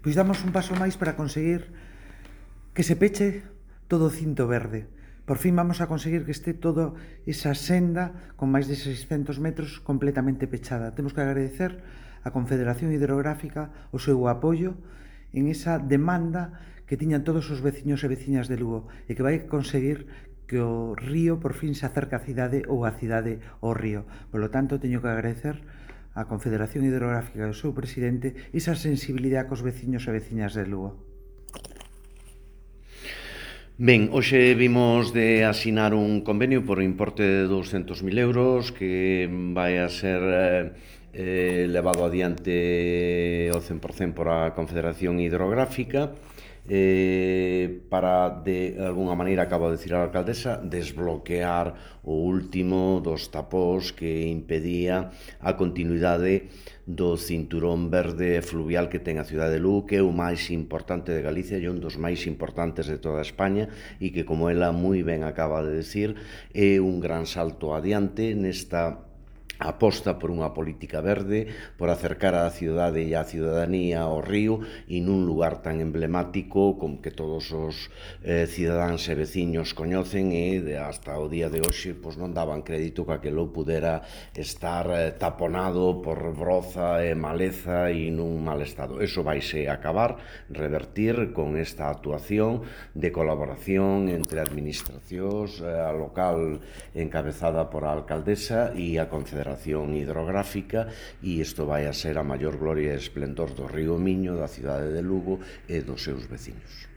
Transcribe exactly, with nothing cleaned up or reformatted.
Pois damos un paso máis para conseguir que se peche todo o cinto verde. Por fin vamos a conseguir que este toda esa senda con máis de seiscentos metros completamente pechada. Temos que agradecer a Confederación Hidrográfica o seu apoio en esa demanda que tiñan todos os veciños e veciñas de Lugo e que vai conseguir que o río por fin se acerque á cidade ou a cidade ao río. Por lo tanto, teño que agradecer a Confederación Hidrográfica e ao seu presidente esa sensibilidade cos veciños e veciñas de Lugo. Ben, hoxe vimos de asinar un convenio por importe de douscentos mil euros que vai a ser eh, levado adiante ao cen por cen por a Confederación Hidrográfica eh, para, de alguna maneira, acabo de dicir a alcaldesa, desbloquear o último dos tapós que impedía a continuidade do cinturón verde fluvial que ten a cidade de Lugo, que é o máis importante de Galicia e un dos máis importantes de toda España e que, como ela moi ben acaba de decir, é un gran salto adiante nesta aposta por unha política verde, por acercar a cidade e a cidadanía ao río e nun lugar tan emblemático como que todos os eh, cidadáns e veciños coñecen e de, hasta o día de hoxe pois, non daban crédito que aquilo pudera estar eh, taponado por broza e maleza e nun mal estado. Eso vaise acabar, revertir con esta actuación de colaboración entre administracións, eh, a local encabezada por a alcaldesa e a Confederación Hidrográfica, e isto vai a ser a maior gloria e esplendor do río Miño, da cidade de Lugo e dos seus veciños.